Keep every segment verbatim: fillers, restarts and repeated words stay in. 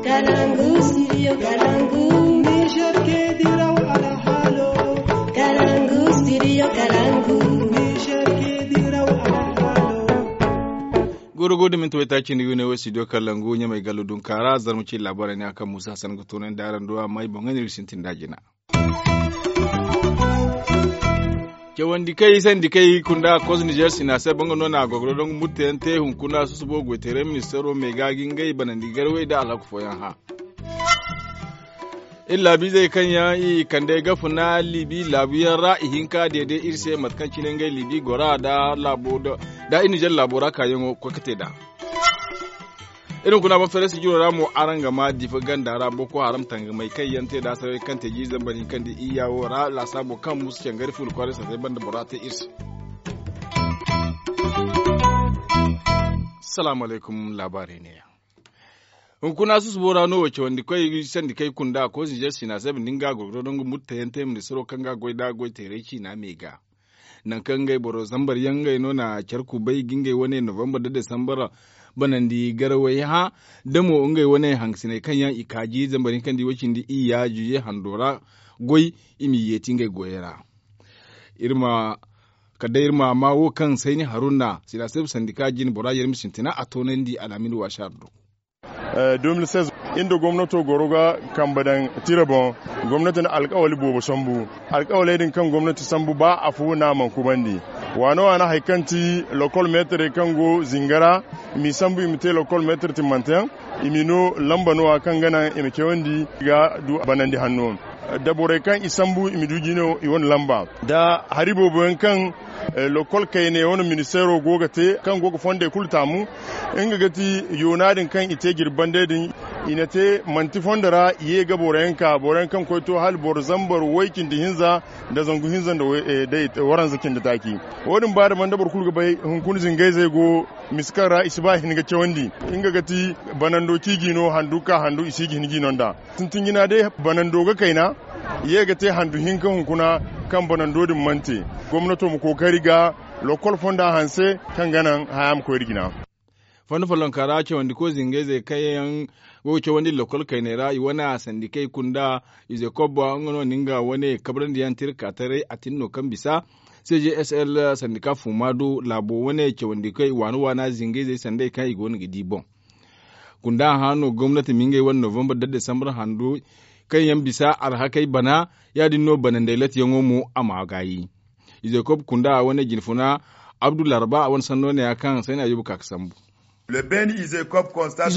Kalangu, studio Kalangu. Niger ke diraw alhalo. Kalangu, studio Kalangu. Niger ke diraw alhalo. Goro goro da minti waytaaci ni wine wo studio Kalangu ɲamay gallo dunkaara zarma ci labaarey ne a kaŋ Musa Hassan ga toonandi araŋ do amma i boŋ ga ne iri sintin da jina. Cawandi kay sandi kay kunda kos nizer sina se banga no na gogoro dongu murtayaŋ te hunkuna susubo goyteeray ministaro me ga gi ngey banandi garwey da alhaku fooyaŋ hã. Iri laabiizey kaŋ yaŋ i kande ga funa libi laabuyaŋ ra i hinka deede iri se mate kaŋ cine ngey libi gora da laabo da iri nizer laabo ra kaayaŋo koy ga te nd'a. Iri hunkuna boŋ feere sijiro ra mo araŋ ga ma difa ganda ra boko haram tangamay kaŋ yaŋ te da saray kaŋ te jiiri zambar hinka nda iyya wo ra laasaabo kaŋ musu cangari fulu kwaray sasay banda bora te iri se. Salaamu alaykum laabaarey neeya. Hunkuna susubo ra no wo cawandi koy sandi kay kunda koy sinzer sina se bindi nga gogoro dongu murtayaŋ te ministaro kaŋ ga goy da goy teeray ciina me ga. Nangu kaŋ ngey boro zambar yaŋ ngey no na care kubay ga ngey wane novembar da desambar banandi garawey hã da mo ngey wane hangasiney kaŋ yaŋ i kaaji zambar hinka nda i way cindi iyya juye hando ra goy i m'i yeeti ngey goyey ra. Iri ma kala day iri ma ma wo kaŋ sayni haruna sina se sandi ka jin bora yermi sintina a toonandi alhamin waasi a do. Iri nda gomnato goro ga kambe daŋ tira boŋ. Gomnati na alkawali boobo sambu. Alkawaley din kaŋ gomnati sambu ba afo no a mana kubandi. Waano waana hari kaŋ ti lokol meetarey kaŋ go zinga ra i m'i sambu i ma te lokol meetar timmante yaŋ. I m'i no lamba no- ya kaŋ ga naŋ i ma cawandi ga du banandi hanno. Da borey kaŋ i sambu i ma du jino i wane lamba da hari boobo yaŋ kaŋ lokol kayne wane ministeero go ga te kaŋ go ga fondey kulu taamu. Nga ga ti yoona din kaŋ i te jirbi bande din i na te manti fondo ra i ye ga boro yaŋ ka boro yaŋ kaŋ koy to hala boro zambar way cindi hinza nda zangu hinza nda waranza cindi taaci. Wo- din ba da banda boro kulu ga bay hunkuna zingayzey go misa kaŋ ra i si ba hin ga cawandi. Nga ga ti banando ciiji no handu ga ka handu i si ga hin jiino nd'a. Sintin jina day banando ga kayna i ye ga te handu hinka hunkuna kaŋ banando din mana te. Gomnato ma kookari ga lokol fonda hanse kaŋ ga naŋ haya ma koy iri jina. Fondo follonka ra cawandiko zingayzey kaŋ yaŋ go ga cawandi lokol kayney ra i wane sandikey kunda ize kobba nga no na nga wane kabrandi yaŋ tirka taray a tin no kaŋ bisa. C G S L sandika fuma do laabo wane cawandikey waana waana zingayzey sanday kaŋ i go no ga di boŋ. Kunda hã no gomnati ma ngey wane novembar da desambar hando kaŋ yaŋ bisa arhakey bana. Ya- din no banandey latiyaŋo mo a ma gaayi. Ize kob kunda a wane jinfuna abdu laraba a wane sanno ne ya kaŋ sayna yuba ka ga sambu. Ize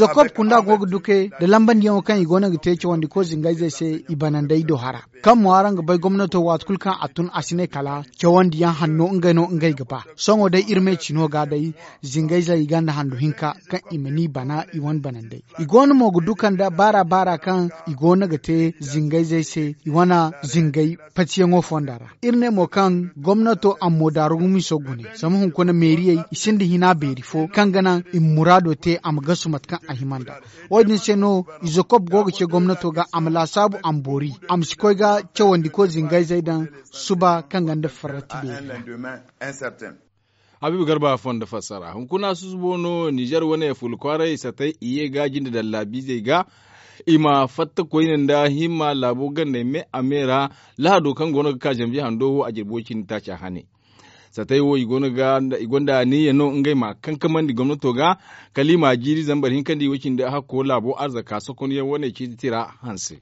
kob kunda go ga duke nda lambandiyaŋo kaŋ i go no ga te cawandiko zingayzey se i banandey do hara. Kaŋ mo araŋ ga bay gomnato waati kulu kaŋ a tun a si ne kala cawandiyaŋ hanno ngey no ngey ga ba. Sohõ day iri me cino ga day zingayzey i gonda handu hinka kaŋ i ma ni bana i wane banandey. I go no mo ga du kande baara baara kaŋ i go no ga te zingayzey se i wane zingay patiyaŋo fonda ra. Iri ne mo kaŋ gomnato a ma mo daaru gumiso gune zama hunkuna meeriyey i sinda hina beeri fo kaŋ ga naŋ i ma muraado te a ma gasu mate kaŋ a hima nd'a. Wo- din se no ize kob go ga ce gomnato ga a ma laasaabu a ma boori a ma si koy ga cawandiko zingayzey daŋ suba kaŋ gonda farrati beeri ra. Habiibu garba fondo fassara hunkuna susubo no nizer wane fulu kwaaray satay i ye ga jinde daŋ laabiizey ga i ma fatta koyne nda himma laabo gandey me a me ra. Lahado kaŋ go no ga ka zanbiye hando wo a jirbi way cindi taaca hane. Satay wo i gonda aniiya no ngey ma kankamandi gomnato ga kala i ma jiiri zambar hinka nda i way cindi hakko laabo arzaka sokonyaŋ wane ciiti tira hanse.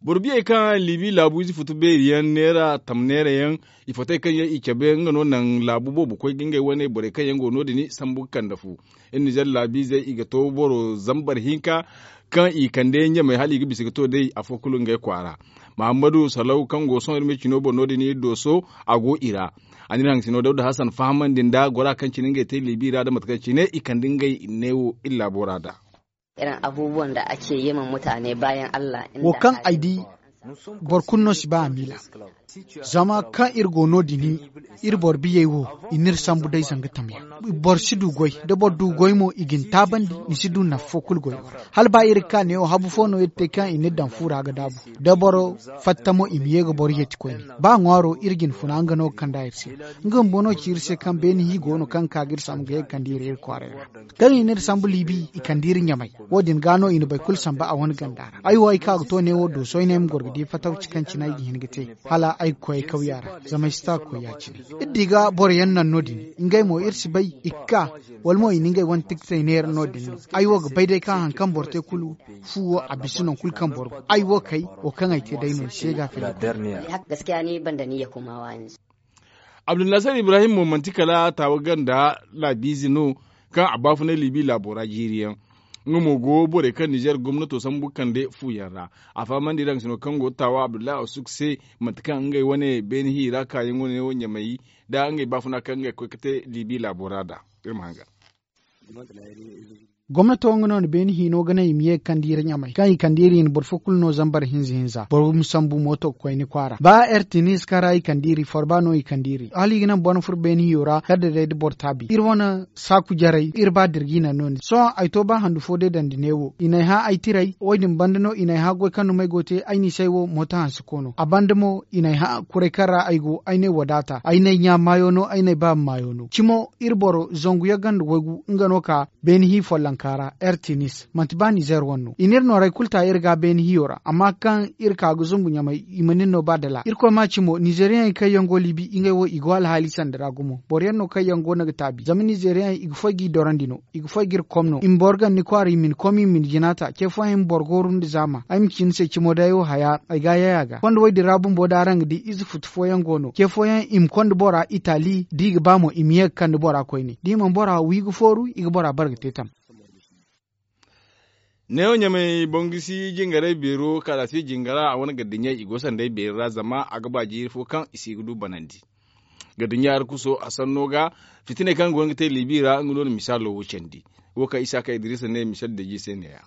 Boro biyey kaŋ libi laabu ize futu beeri yaŋ neera tam neera yaŋ i fatey kaŋ yaŋ i cabe nga no naŋ laabu boobo koy ga ngey wane borey kaŋ yaŋ go no- din sambu ga kande fu. Iri nizer laabiizey i ga to boro zambar hinka kaŋ i kande ɲamey hala i ga bisa ga to day afo kulu ngey kwaara. Mahammadu salaw kaŋ go sohõ iri ma cino boŋ no- din iri dooso a go i ra. A na iri hangasino dawda hasan fahamandi nda gora kaŋ cine ngey te libi ra da mate kaŋ cine i kande ngey neewo iri laabo ra da. Irin abubuwan da ake yi ma mutane bayan Allah. Wo kaŋ ay di Boro kulu no si ba a miila. Zama kaŋ iri go no- din, iri boro biyey wo, i n'iri sambu day zanga tamyaŋ. Boro si du goy, da boro du goy mo, i ga ni taabandi, ni si du nafa fo kulu goyo ra. Hala ba iri ga ka neewo habu fo no iri te kaŋ i n'iri daŋ fu ra ga daabu. Da boro fatta mo, i ma ye ga boro yeeti koyne. Ba ŋwaaro iri ga ni funa nga no ga kand'a iri se. Nga bumbo no ci iri se kaŋ beene hi go no kaŋ ga ka ga iri sambu ga ye ga kande iri iri kwaaray ra. Kaŋ i n'iri sambu liibi, i kande iri ɲamay. Wo- din gaa no i na boro kulu samba a wane ganda ra. Ay wo ay ka ga to neewo dooso ay no ay ma goro ga di fatawci kaŋ cine ay ga hin ga te, hala ay ga koy ay kawya ra, zama ay si ta ga koy ya- cine. Iri di ga boro yaŋ naŋ no- din, ngey mo iri si bay i ga ka, wala mo i na ngey wane tikitey neera no- din no. Ay wo ga bay day kaŋ hari kaŋ boro te kulu, fu wo a bisa nangu kulu kaŋ boro go. Ay wo kay, wo kaŋ ay te day no ay se ga fila. Abdulnasir Ibrahim mo manti kala taawa ganda laabiize no, kaŋ a baafunay liibi laabo ra jiiri yaŋ. Nga mo go borey kaŋ nizeer gomnato sambu kande fu yaŋ ra. A fahamandi raŋ sino kaŋ go taawa abdullahi asuk se, mate kaŋ ngey wane beene hi ra kaayaŋo ne wo ɲamay, nda ngey baafuna kaŋ ngey koy ga te liibi laabo ra nd'a. Iri ma hangan. Gomnato nga no na beene hino ga naŋ i ma ye ga kande iri ɲamay kaŋ i kande iri i na boro fo kulu no zambar hinza hinza boro ma sambu mooto ga koy ni kwaara ba ertinis kaŋ ra i kande iri forba no i kande iri hala i ga naŋ boro ma furo beene hiyo ra kala da day da boro taabi iri wane saaku jarey iri ba da iri ga i naŋ no- din sohõ ay to ba handu fo day dandi neewo i n'ay hã ay tiray wo- din banda no i n'ay hã goy kaŋ duma ay go ga te ay n'i se ay wo mooto hanse koono a banda mo i n'ay hã kuray kaŋ ra ay go ay n'ay wadaata ay n'ay ɲa maayo no ay n'ay baaba maayo no cimo iri boro zangu yagga nda waygu nga no ka beene hi follonka ra ertinis manti ba nizeer wane no i n'iri nooray kulu ta iri ga beene hiyo ra amma kaŋ iri ka ga zumbu ɲamay i mana iri no ba dala irkoy ma ci mo nizeeriyaŋey kaŋ yaŋ go liibi ngey wo i go alhaali sanda ra gumo boro yaŋ no kaŋ yaŋ go no ga taabi zama nizeeriyaŋey i ga foy g'i dorandi no i ga foy g'iri kom no i ma boro ganda ni kwaara i ma ni kom i ma ni jina ta ce fooyaŋ i ma boro gooru nda zaama ay ma ci ni se cimo day wo haya ay ga a yay a ga konda woy din ra bumbo da araŋ ga di ize futu fooyaŋ go no ce fooyaŋ i ma konda bora itali da i ga ba mo i ma ye ga kande bora koyne da i mana bora wi ga fooru i ga bora bare ga te tam neewo ɲamay boŋ gisi jingaray beero kaala se jingara a wane gardiɲey i go sanday beeri ra zama a ga ba jiiri fo kaŋ i si ga du banandi gardiɲey arkuso a sanno ga fitiney kaŋ go no ga te liibi ra nga no na misaalo wo candi wo kaŋ isaaka idiriisa ne misal deeji se neeya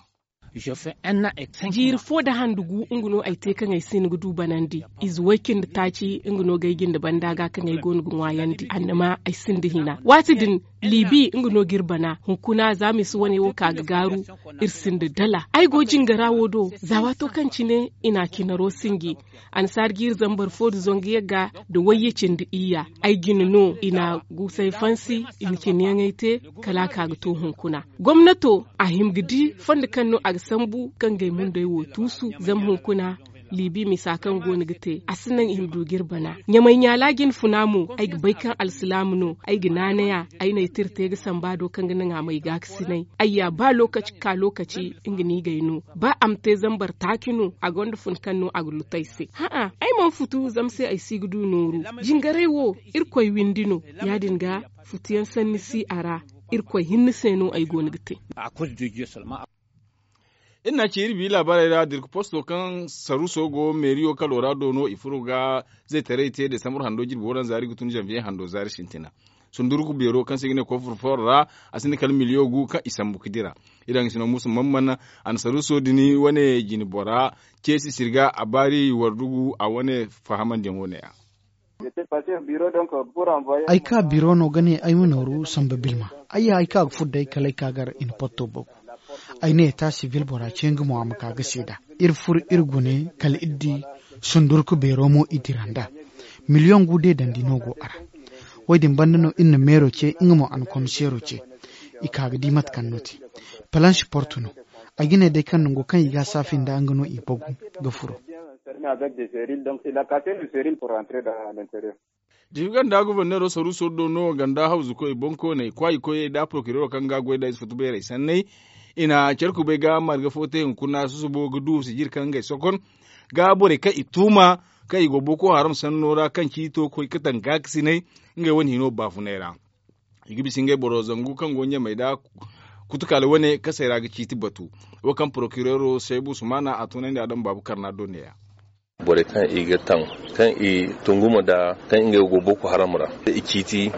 jiiri fo nda handu gu nga no ay te kaŋ ay si hin ga du banandi ize way cindi taaci nga no ga ay jinde banda ga kaŋ ay go no ga ŋwaayandi annama ay sinda hina waati din liibi nga no g'iri bana hunkuna za ma i si wane wo ka ga gaaru iri sinda dala ay go jingara wo do za waato kaŋ cine i na cinaro sinji annasaara g'iri zambar fo nda zangu yagga nda wayye cindi iyya ay jine no i na guusay fansi i na cineyaŋey te kala a ka ga to hunkuna gomnato a hima ga di fondo kaŋ no a ga sambu ka ngey mundey wo tuusu zama hunkuna liibi misa kaŋ go no ga te a si naŋ i ma du g'iri bana ɲamay ɲaala jinfuna mo ay ga bay kaŋ alsilaamu no ay ga naanay a ay n'ay tira te ga samba do kaŋ ga naŋ a m'ay gaakasinay ay ya ba lookaci ga ka lookaci nga no i g'ay no ba a ma te zambar taaci no a gonda fun kaŋ no a ga lutu ay se hã'a ay mana futu zama se ay si ga du nooru jingaray wo irkoy windi no ya- din ga futuyaŋ sanni si a ra irkoy hinne se no ay go no ga te iri na ci iri bi laabaarey ra dirku posto kaŋ saruso go meeriyo kalo ra do no i furo ga zaytaray te desambur hando jirbi waranza iri ga tun zanviye hando zaari sintina sundurku beero kaŋ se i ga ne kofur foro ra a sinda kala miliyo gu kaŋ i sambu ga dira iri haŋ sino musa mamman a na saruso din wane jine bora ceesi sirga a baari wardugu a wane fahamandiyaŋo ne- ya ay ka biro no ga ne ay ma nooru samba bilma ay ya ay ka ga furo day kala ay ka gar i na potto bagu ay ne eta sivil bora ce nga mo a ma ka ga seeda iri furo iri gune kala iri di sundurku beero mo i dira nd'a miliyoŋ gu deedandi no go a ra wo- din banda no iri na meero ce nga mo a na komiseero ce i ka ga di mate kaŋ no te palansi portu no ay ga ne day kaŋ nango kaŋ i ga a saafi nda nga no i bagu ga furo jiibi ganda goforneero saruuso do no ganda hawzukoy bonkooney kwaayikoyey nda porokireero kaŋ ga goy nda ize futu beerey sanney i na care kubay ga marga fo te hunkuna susubo ga du sijir kaŋ ngey sokon ga borey kaŋ i tuuma kaŋ i go boko haram sanno ra kaŋ ciito koy ga taŋ gaakasinay ngey wane hino baafunay ra i ga bisa ngey boro zangu kaŋ go ɲamey nda kutukaali wane kasey ra ga ciiti batu wo kaŋ porokireero seebu sumaana a tunandi a daŋ baabu karna do neeya borey kaŋ i ga taŋ kaŋ i tungu ma da kaŋ ngey go boko haram ra i ciiti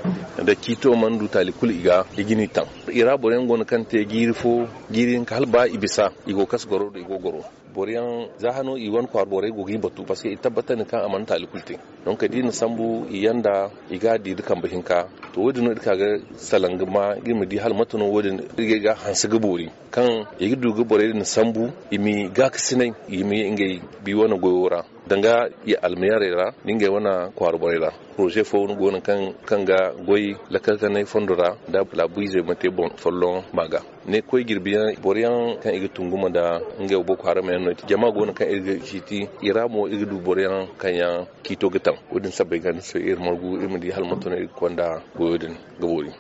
nda ciito mana du taali kulu i ga i ga ni taŋ i ra boro yaŋ go no kaŋ te jiiri fo jiiri hinka hala ba i bisa i go kasa goro do i go goro Boro yaŋ za hano i wane kwaara borey go ga i batu parceque i tabbatandi kaŋ a mana taali kulu te. Donc da i na sambu i yanda i ga a di nda kambe hinka. To wo- din no iri ka ga salaŋ ga ma iri ma di hala mate no wo- din iri ga ay ga hanse ga boori kaŋ i ga du ga borey din sambu i ma i gaakasinay i ma ye ngey bi wane goyo ra danga i almayarey ra nda ngey wane kwaara borey ra. Poroze fo go no kaŋ ga goy lakkal kanay fondo ra nda laabu izey ma te boŋ folloŋ ma ga ne koy jirbi yaŋ boro yaŋ kaŋ i ga tunguma nda ngey wo boko haram yaŋ no jama go no kaŋ iri ga ciiti i ra mo iri ga du boro yaŋ kaŋ yaŋ ciito ga taŋ. Wo- din sabbay ga ni se iri margu iri ma di hala manto no iri ga konda goyo din ga boori.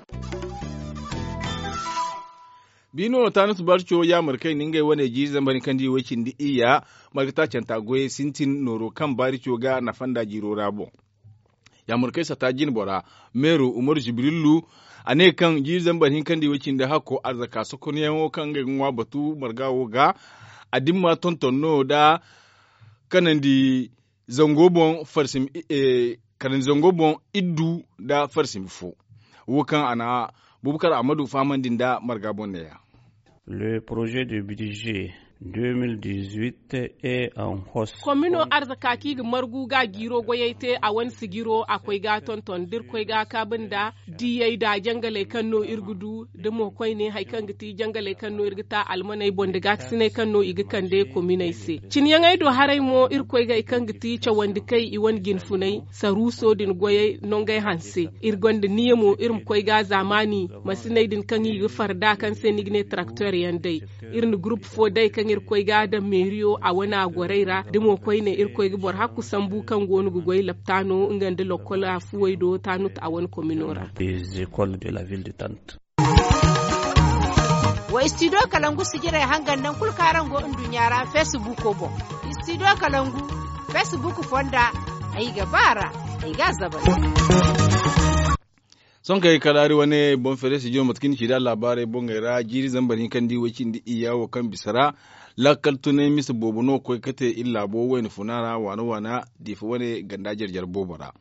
Biino taanus barco yaamar kay na ngey wane jiiri zambar hinkandi way cindi iyya marga taacanta goyey sintin nooro kaŋ baarico ga nafa nda jiiro ra boŋ. Yaamar kay sata jinbora meero umaru jibrilu a ne kaŋ jiiri zambar hinkandi way cindi hakko arzaka sokonyaŋo kaŋ ngey ga ŋwa batu marga wo ga a dimma tonton no nda kanandi zango boŋ farsim kanandi zango boŋ iddu nda farsim fo. Wo kaŋ a na bubakar ahmadu fahamandi nda marga boŋ neeya. Le projet de budget deux mille dix-huit est en hausse. Komino arzaka kaŋ i ga margu ga jiiro goyey te a wane sijiro a koy ga tonton da iri koy ga kaabu nda diyey nda jangaley kaŋ no iri ga du da mo koyne hari kaŋ ga ti jangaley kaŋ no iri ga ta almaney boŋ nda gaakasiney kaŋ no i ga kande kominey se. Ciniyaŋey do haray mo iri koy ga hari kaŋ ga ti cawandi kay i wane jinfunay saruuso din goyey nongey hanse. Iri gonda niya mo iri ma koy ga zaamaani masiney din kaŋ i ga farda kaŋ se ni ga ne tarakteer yaŋ day. Iri na gurupu fo day kaŋ iri koy ga daŋ meeriyo a wana gorey ra da mo koyne iri koy ga boro hakku sambu kaŋ go no ga goy laptaano nga nda lokkol afuwey do taanut a wane komino ra. Wa istidiyo kalangu sijirey hangan naŋ kulu kaŋ araŋ go nduɲɲa ra feesibuuko boŋ. Istidiyo kalangu feesibuuk fonda ay ga ba a ra ay ga a zabari. Sohõ kay kala hari wane boŋ feere sijiro mate kaŋ ni ci nd'a laabaarey boŋey ra jiiri zambar hinkandi way cindi iyya wo kaŋ bisa ra lakkal tunay mise boobo no ga koy ga te iri laabo wayna funa ra waana waana diifa wane ganda jare jare boobo ra.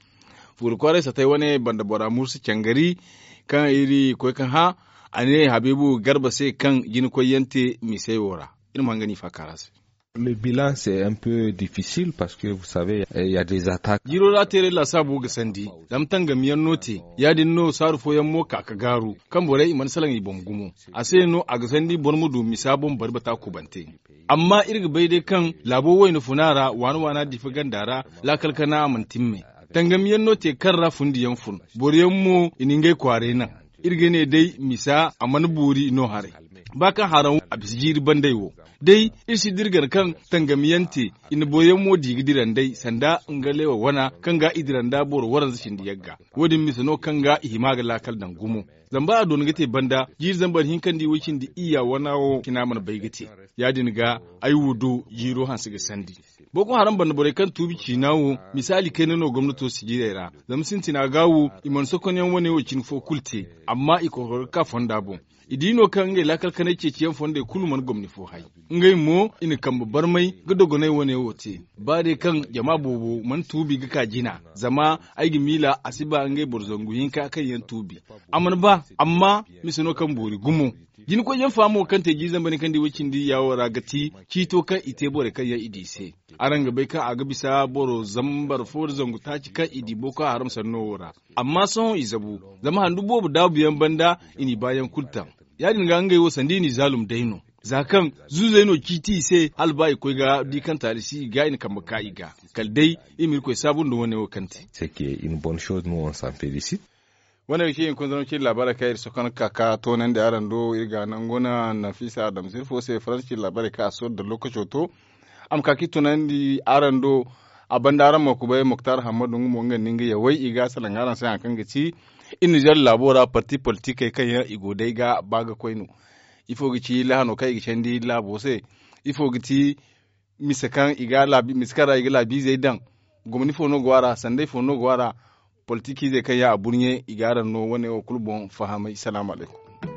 Fuuri kwaaray satay wane banda bora mursi cangari kaŋ iri koy ga hã a ne habiibu garba se kaŋ jina koy yaŋ te misey wo ra. Iri ma hanga no i faaka ra se. Le bilan c'est un peu difficile parce que vous savez il y a des attaques. Jiro ra teeray laasaabu ga sandi zama tangamiyaŋ no te ya- din no saaru fooyaŋ mo ka ga gaaru kaŋ borey i mana salaŋ i boŋ gumo. A se no a ga sandi boro ma du misa boŋ bari bata kubante. Amma iri ga bay day kaŋ laabo wayna funa ra waana waana diifa ganda ra laakal kana a mana timme. Tangamiyaŋ no te kaŋ ra fundiyaŋ fun boroyaŋ mo i na ngey kwaaray naŋ. Iri ga ne day misa a mana boori no haray ba kaŋ haraŋ a bisa jiiri banday wo. Day iri si dira gana kaŋ tangamiyaŋ te i na boroyaŋ mo di ga dira nd'ey sanda nga leewa wana kaŋ ga i dira nda boro waranza cindi yagga. Wo- din mise no kaŋ ga i hima ga laakal daŋ gumo. Zama ba a doona ga te banda jiiri zambar hinkandi way cindi iyya wana wo cina mana bay ga te. Ya- din ga ay wo do jiiro hanse ga sandi. Boko haram banda borey kaŋ tuubi ciina wo misaali kayna no gomnato sijirey ra. Zama sintina ga wo i mana sokonyaŋ wane wo cine fo kulu te. Amma i kokoro ga ka fonda boŋ. I di no kaŋ ngey laakal kanay ceeciyaŋ fondey kulu mana gomni fo hay. Ngey mo i na kambe barmay ga dogonay wane wo te. Ba day kaŋ jama boobo mana tuubi ga ka jina zama ay ga miila a si ba ngey boro zangu hinka kaŋ yaŋ tuubi. A mana ba amma mise no kaŋ boori gumo. Jinakoyyaŋ faamo kaŋ te jiiri zambar hinkandi way cindi yaawo ra ga ti ciito kaŋ i te borey kaŋ yaŋ i di i se. Araŋ ga bay kaŋ a ga bisa boro zambar fo nda zangu taaci kaŋ i di boko haram sanno wo ra. Amma sohõ i zabu zama handu boobo daabuyaŋ banda i n'i baayaŋ kulu taŋ. Ya- din ga ngey wo sanda i n'i zaalum day no. Za kaŋ zuuzey no ciiti i se hala ba i koy ga di kaŋ taali si i ga i na kambe ka i ga. Kala day i ma irkoy saabu nda wane wo kaŋ te. Wane ga ci hinkunzanam cine laabaarey kaŋ iri sohõ kaŋ ga ka ka toonandi araŋ do iri ga nangu na nafisa adamsir fo se faransa cine laabaarey kaŋ a sorro da lookaco to. A ma ka ka i tunandi araŋ do. A banda araŋ ma kubay muktar hammadu nga mo nga nda nga yawey i ga salaŋ araŋ se hari kaŋ ga ci iri nizer laabo ra parti politikey kaŋ yaŋ i go day ga ba ga koy no. Ifo ga ci lahano kaŋ i ga candi laabo se? Ifo ga ti mise kaŋ i ga laabi mise kaŋ ra i ga laabiizey daŋ? Gomni fo no go a ra sanday fo no go a ra? Politikizey kaŋ yaŋ a burɲe i ga araŋ no wane wo kulu boŋ fahamay salaamu alaykum.